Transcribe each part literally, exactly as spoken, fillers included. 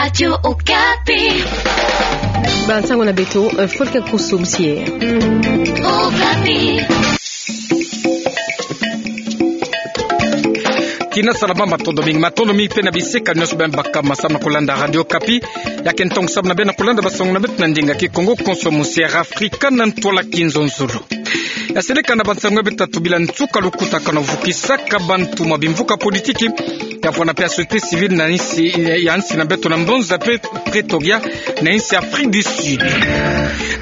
Radio Okapi. Bansango na beto, eh, Folke Kusum Sie. Okapi. Tina salama, matondo mingi, matondo mingi pe na bisika nyonso beno baka ma samu na kulanda Radio Okapi. Ya ke ntongo samu na beno na kulanda bansango na beto na ndinga Kikongo, konso mu Sierra Africa na ntwala kinzonzolo. Ya seleka na bansango ya beto tatu bila nsuka lukutakanu vukisaka bantu mwa bimvuka politiki, ya vwanda pe ya société civile na insi, ya insi na beto na mbanza Pre-, Pretoria, na insi Afrique du Sud.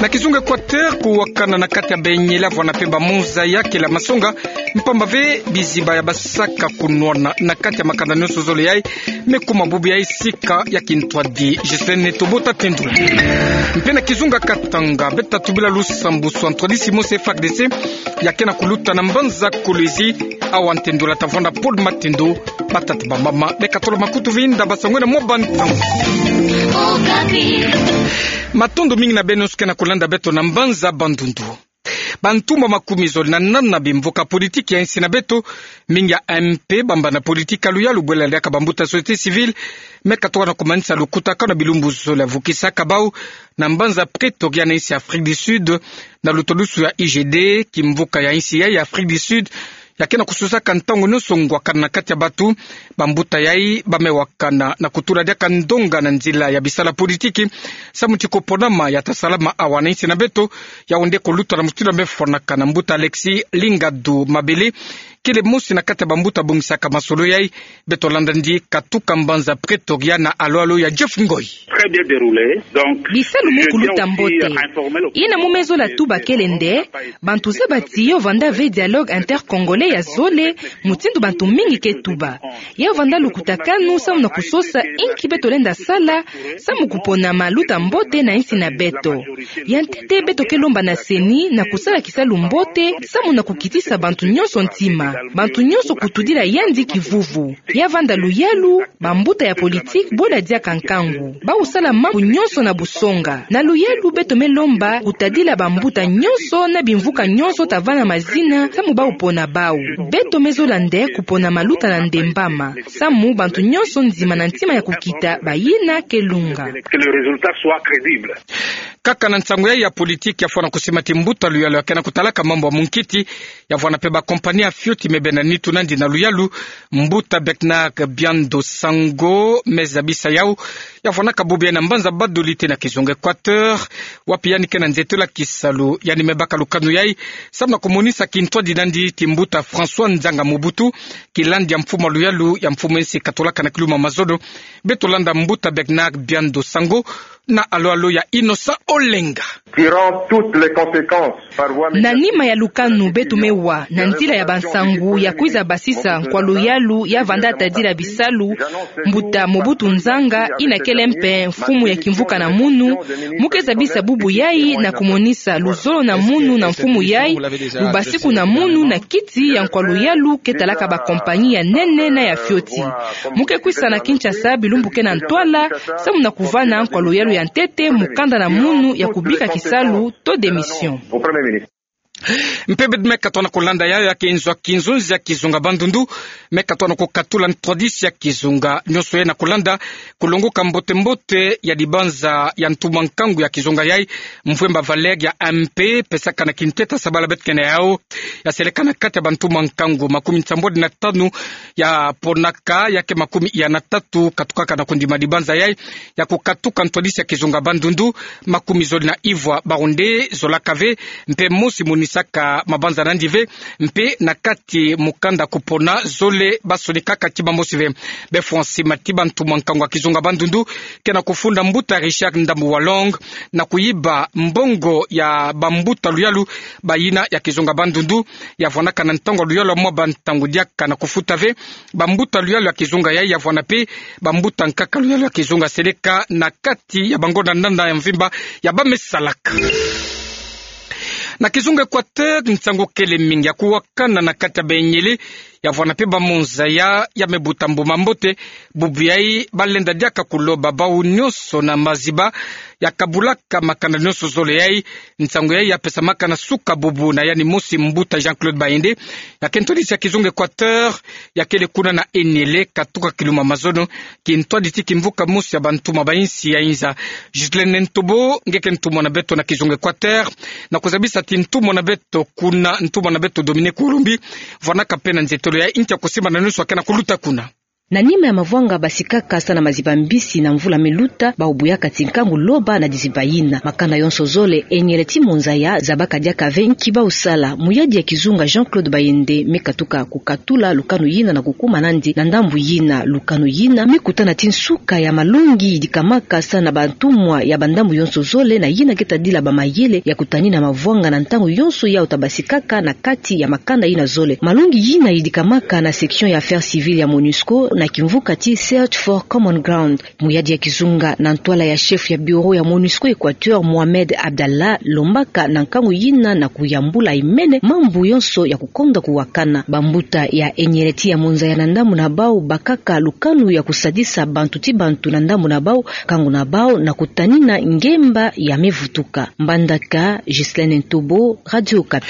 Na kizunga Équateur, kuwakana na kati ya benyele ya vwanda pe bamonza ya kela masonga, mpamba ve biziba ya basaka kunwana na kati ya makanda nyonso zole yai, me kuma bubu yai sika ya kintwadi. Justine Tobota Tendula. Mpe na kizunga Katanga, beto tatu bila lusambusu, ntwadisi mosi F A R D C ya ke na kuluta na mbanza Kolwezi. Awa ntendula ta vwanda Paul Matendo. Batata, bamama, beka tolo makutu, vwinda bansango na mwa bantangu. Matondo mingi na beno nyonso ke na kulanda beto na mbanza Bandundu. Bantu mwa makumi zole na nana bimvuka politiki ya insi na beto, mingi ya M P, bambana politiki ya luyalu bwela diaka bambuta société civile, me katoka na kumanisa lukutakanu na bilumbu zole ya vukisaka bau na mbanza Pretoria na insi Afrique du Sud, na lutwadusu ya I G D, kimvuka ya insi yai ya Afrique du Sud ya ke na kususaka ntangu nyonso ngwakana na kati ya batu. Bambuta yai ba me wakana na kutula diaka ndonga na nzila ya bisala politiki, samu ti ko ponama ya ta salama awa na insi na beto. Yau nde ko luta na mutindu ya me fwanaka na mbuta Alexis Lingadu Mabele, kele mosi na kati ya bambuta bongisaka masolo yai. Beto landa ndi katuka mbanza Pretoria na alo-alo ya Jeff Ngoi. Très bien déroulé. Donc, bisalu mu kuluta mbote. Yina mu me zola tuba kele nde, bantu zaba ti yo vwanda ve dialogue intercongolais ya zole, mutindu bantu mingi ke tuba. Yo vwanda lukutakanu samu na kusosa inki beto lenda sala, samu kupona maluta mbote na insi na beto. Ya ntete beto ke lomba na CENI na kusala kisalu mbote, samu na kukitisa bantu nyonso ntima. Bantu nyonso kutudila yandi kivuvu. Ya vwanda luyalu, bambuta ya politiki bwela diaka nkangu. Bau sala mambu nyonso na busonga. Na luyalu beto me lomba kutadila bambuta nyonso na bimvuka nyonso ta vana mazina, samu bau pona bau. Beto me zola nde kupona maluta na ndembama. Samu bantu nyonso nzima na ntima ya kukita bayina ke lunga. Que le résultat soit crédible. Kaka na nsangu yai ya politiki ya fwana kusima ti mbuta luyalu ya ke na kutalaka mambu ya munkiti, ya vwanda pe bakompani ya fioti me bena nitu nandi na luyalu, mbuta Bernard Biando Sango me zabisa yau, ya vwanaka bubu yai na mbanza Bas-Dioulasso na kizunga Équateur, wapi yandi ke na nzeto la kisalu, yandi me baka lukanu yai, samu na kumonisa kintwadi nandi ti mbuta François Nzanga Mobutu, kilandi ya mfumu ya luyalu ya mfumu ya insi katolaka na kiluma mazono. Beto landa mbuta Bernard Biando Sango na alo-alo ya Innocent Olenga. Tirant toutes les conséquences par voie médiatique. Na nima ya lukanu beto me wa, na nzila ya bansangu ya kwiza basisa nkwa luyalu ya vwanda tadila bisalu, mbuta Mobutu Nzanga, yina kele mpe mfumu ya kimvuka na munu, mu ke zabisa bubu yai na kumonisa luzolo na munu na mfumu yai, lubasiku na munu na kiti ya nkwa luyalu ke talaka bakompani ya nene na ya fioti. Mu ke kwisa na Kinshasa bilumbu ke na ntwala, samu na kuvana nkwa luyalu ya ntete mu kanda na munu ya kubika kisalu to démission. Mpe beto me katoka na kulanda yau, ya ke nzo ya kinzonzi ya kizunga Bandundu me katoka na kukatula ntwadisi ya kizunga nyonso yai na kulanda kulongoka mbote-mbote ya dibanza ya ntumwa nkangu ya kizunga yai, Mvwemba Valère ya M P, pesaka na kintete sabala beto ke na yau. Ya seleka na kati ya bantumwa nkangu makumi nsambwadi na tanu ya ponaka, ya ke makumi ya na tatu katukaka na kundima dibanza yai, ya kukatuka ntwadisi ya kizunga Bandundu, makumi zole na ivwa bau nde zolaka ve, mpe mosi monisaka mabanza nandi ve, mpe na kati mukanda kupona zole basonikaka ti bamosi ve. Befwa nsima ti bantumwa nkangu ya kizunga Bandundu ke na kufunda mbuta Richard Ndambu Walong na kuyiba mbongo ya bambuta luyalu bayina ya kizunga Bandundu, ya vwanaka na ntangu ya luyalu ya mwa bantangu diaka na kufuta ve. Bambuta luyalu ya kizunga yai ya vwana mpe bambuta nkaka luyalu ya kizunga seleka na kati ya bangonda nana ya mvimba ya ba me salaka. Na kizunga Équateur, nsangu kele mingi ya kuwakana na kati ya benyele, ya vwana mpe bamonza ya, ya me buta mbuma mbote, bubu yai balenda diaka kuloba bau nyonso na maziba, ya kabulaka makanda nyonso zole yai. Nsangu yai ya pesamaka na suka bubu na yandi mosi mbuta Jean-Claude Bayende, ya ke ntwadisi ya kizunga Equateur, ya kele kuna na Eniele, katuka kiluma mazono, kintwadisi kimvuka mosi ya bantumwa ba insi ya inza. Ghislaine Ntobo, nge ke ntumwa na beto na kizunga Equateur, na kuzabisa ti ntumwa na beto kuna, ntumwa na beto Dominique Olombi, vwanaka mpe na nzietolo ya inti ya kusimba na nyonso ya ke na kuluta kuna. Na nima ya mavwanga basikaka sa na maziba mbisi na mvula me luta, bau buyaka ti nkangu loba na diziba yina. Makanda yonso zole, Eniele ti Monzaya, zabaka diaka ve nki bau sala. Muyadi ya kizunga Jean-Claude Bayende me katuka kukatula lukanu yina na kukuma nandi na ndambu yina. Lukanu yina me kutana ti nsuka ya malongi yidikamaka sa na bantumwa ya bandambu yonso zole, na yina ke tadila bamayele ya kutanina mavwanga na ntangu yonso yau ta basikaka na kati ya makanda yina zole. Malongi yina yidikamaka na section ya affaires civiles ya MONUSCO na kimvuka ti Search for Common Ground. Muyadi ya kizunga na ntwala ya chef ya bureau ya MONUSCO Equateur, Mohamed Abdallah, lombaka na nkangu yina na kuyambula imene mambu yonso ya kukonda kuwakana. Bambuta ya Eniele ti ya Monzaya na ndambu na bau bakaka lukanu ya kusadisa bantu ti bantu na ndambu na bau, nkangu na bau na kutanina ngemba ya me vutuka. Mbandaka, Ghislaine Ntobo, Radio Okapi.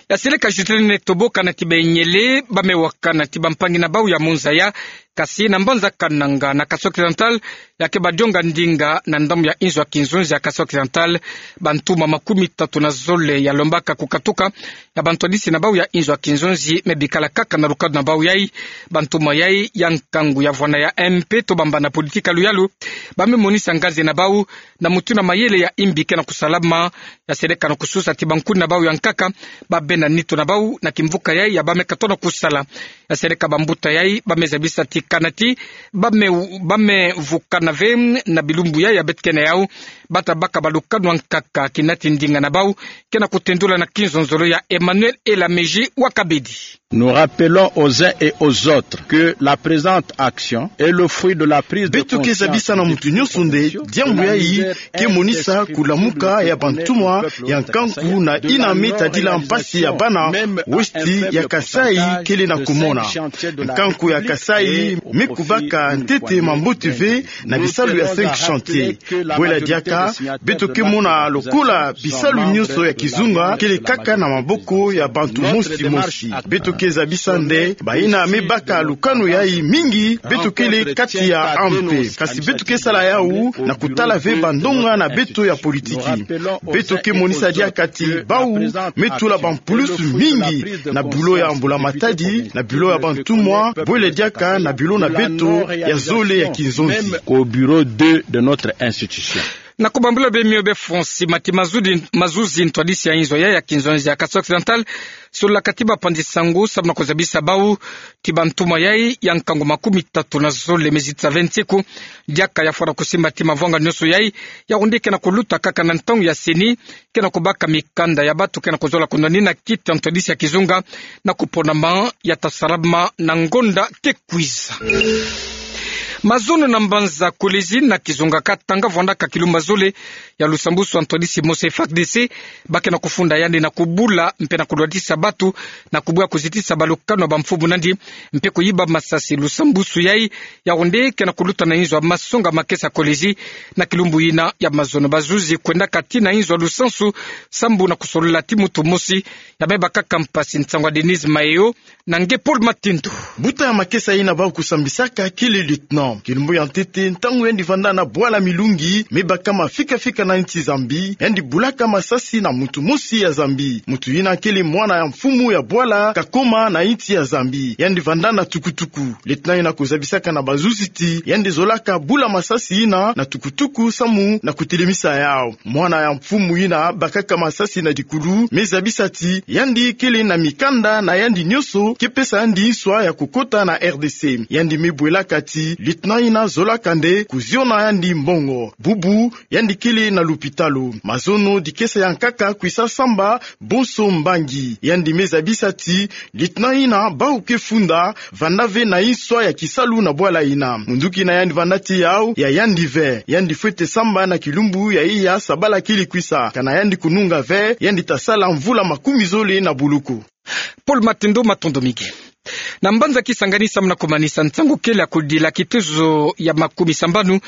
Ya seleka Ghislaine Ntobo, kana ti ba Eniele ba me wakana ti bampangi na bau ya Monzaya, kasi na mbanza Kananga na Kasai Occidental, ya ke badionga ndinga na ndambu ya inzo ya kinzonzi ya Kasai Occidental, bantumwa makumi tatu na zole ya lombaka kukatuka ya bantwadisi na bau ya inzo ya kinzonzi me bikala kaka na lukanu na bau yai. Bantumwa yai ya nkangu ya vwana ya M P to bambana politika luyalu, ba me monisa nganzi na bau na mutindu na mayele ya imbi ke na kusalama. Ya seleka na kususa ti bankuni na bau ya nkaka, ba bena nitu na bau na kimvuka yai ya ba me katono kusala. Ya seleka bambuta yai ba me zabisa ti kana ti ba me, ba me vukana ve na bilumbu yai ya beto ke na yau, ba ta baka balukanu ya nkaka kina ti ndinga na bau ke na kutendula na kinzonzolo ya Emmanuel Elameji wa Kabedi. Nous rappelons aux uns et aux autres que la présente action est le fruit de la prise de conscience. Beto ke zabisa na mutu nyonso nde diambu yai ke monisa kulamuka ya bantumwa ya nkangu na yina me tadila mpasi ya bana westi ya Kasaï kele na kumona. Nkangu ya Kasaï me kubaka ntete mambote ve na bisalu ya cinq chantiers. Bwela diaka, beto ke mona lokola bisalu nyonso ya kizunga kele kaka na maboko ya bantu mosi mosi. Beto ke zabisa nde bayina me baka lukanu yai mingi, beto kele kati ya A M P. Kasi beto ke sala yau na kutala ve bandonga na beto ya politiki. Beto ke monisa diaka ti bau me tula bampulusu mingi na bureau ya mbula matadi, na bureau ya bantumwa, bwela diaka na bureau na beto ya zole ya kinzonzi. Au bureau deux de notre institution. Na kubambula bemio be Francis Mati Mazuzi, Mazuzi, ntwadisi ya inzo yai ya kinzonzi ya Kasai Occidental, sololaka ti bapanzi-nsangu samu na kuzabisa bau ti bantumwa yai ya nkangu makumi tatu na zole me zitisa ve nsiku, diaka ya fwana kusimba ti mavwanga nyonso yai, ya kundi ke na kuluta kaka na ntangu ya CENI, ke na kubaka mikanda ya bantu ke na kuzola kunwanina kiti ya ntwadisi ya kizunga na kuponama ya ta salama na ngonda ke kwiza. Mazono na mbanza Kolwezi na kizunga Katanga, vwandaka kilumbu zole ya lusambusu ya ntwadisi mosi F A R D C, ba ke na kufunda yandi na kubula mpe na kulwatisa bantu, na kubwa kuzitisa balukanu ya bamfumu nandi, mpe kuyiba masasi. Lusambusu yai ya kundi ke na kuluta na inzo ya masonga makesa Kolwezi, na kilumbu yina ya mazono. Bazuzi kwendaka tii na inzo ya lusansu sambu na kusolola ti mutu mosi ya me bakaka mpasi. Nsangu ya Denise Mayo na nge Paul Matindu. Mbuta ya makesa yina bau kusambisaka kele lieutenant. Kilumbu ya ntete, ntangu yandi vanda na bwala Milungi, me baka mafika-fika na insi Zambie, yandi bulaka masasi na mutu mosi ya Zambie. Mutu yina kele mwana ya mfumu ya bwala Kakoma na insi ya Zambie. Yandi vanda na tukutuku. Lieutenant yina kuzabisaka na bazuzi ti yandi zolaka bula masasi yina na tukutuku samu na kutelemisa yau. Mwana ya mfumu yina bakaka masasi na dikulu me zabisa ti yandi kele na mikanda na yandi nyonso ke pesa yandi nswa ya kukota na R D C. Yandi me bwelaka ti lieutenant yina zolaka nde kuziona yandi mbongo. Bubu, yandi kele na lupitalu. Mazono dikesa ya nkaka kwisa samba bonso mbangi. Yandi me zabisa ti lieutenant yina bau ke funda vanda ve na nswa ya kisalu na bwala yina. Munduki na yandi vanda ti yau ya yandi ve. Yandi fwete samba na kilumbu ya iya sabala kele kwisa. Kana yandi kununga ve, yandi ta sala mvula makumi zole na boloko. Paul Matindu, matondo mingi. Na mbanza Kisangani samu na kumanisa nsangu kele ya kudila kituzu ya makumi sambanu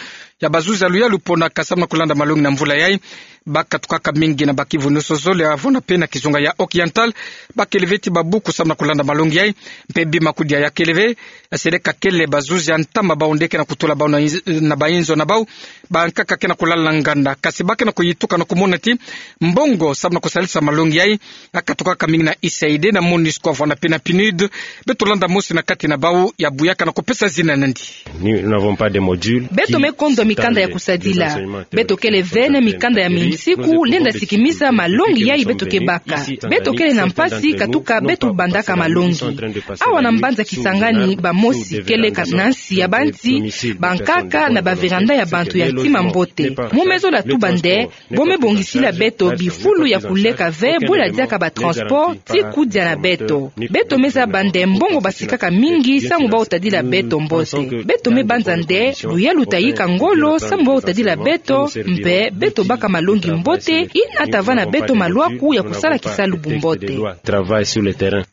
ya bazuzi ya luyalu pona ka samu na kulanda malongi na mvula yai. Bakatukaka mingi na bakivunuso zole avona pe na kizunga ya Occidental, bakele ve ti babuku samu na kulanda malongi yai. Mpe bima kudia ya kele ve, ya sele ka kele bazuzi ya ntama bau nde ke na kutula bau na inz-, na bainzo na bau, bankaka ke na kulala nganda. Kasi ba ke na kuyituka na kumona ti mbongo samu na kusalisa malongi yai, akatukaka mingi na U S A I D na MONUSCO avona pe na PNUD. Beto landa mosi na kati na bau ya buyaka na kupesa zina nandi. Nous n'avons pas de module. Beto me kondwa mikanda ya kusadila. Beto kele ve na mikanda ya minsiku lenda sikimisa malongi yai beto ke baka. Beto kele na mpasi katuka beto bandaka malongi. Awa na mbanza Kisangani bamosi kele ka na nsi ya banzi, bankaka na ba véranda ya bantu ya tima mbote. Mu me zola tuba nde, bo me bongisila beto bifulu ya kuleka ve bula diaka ba transport ti kudia na beto. Beto me zaba nde mbongo basikaka mingi samu bau tadila beto mbote. Beto me banza nde luyalu tayika ngolo samu bau tadila beto, mpe beto baka malongi mbote, ina tavana beto malwaku ya kusala kisalu bu mbote. Travail sur le terrain.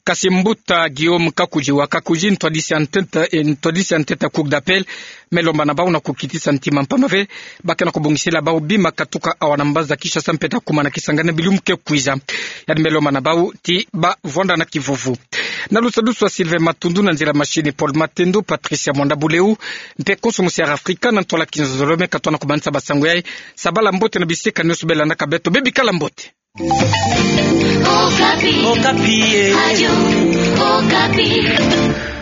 Kasi mbuta Guillaume Kakudji wa Kakudji, ntwadisi ya ntete, eh, ntwadisi ya ntete ya Cour d'appel, me lomba na bau na kukitisa ntima mpamba ve, ba ke na kubongisila bau bima katuka awa na mbanza Kinshasa mpe ta kuma na Kisangani na bilumbu ke kwiza. Yandi me lomba na bau ti ba vwanda na kivuvu. Na lusadusu ya Sylvain Matundu, na nzila machine Paul Matendo, Patricia Mwanda Buleu, mpe konso musi ya Afrika na ntwala kinzonzolo me katoa na kumanisa ba nsangu yai. Sabala mbote na bisika nionso be landaka beto, be bikala mbote. Okapi. Okapi, eh. Radio Okapi.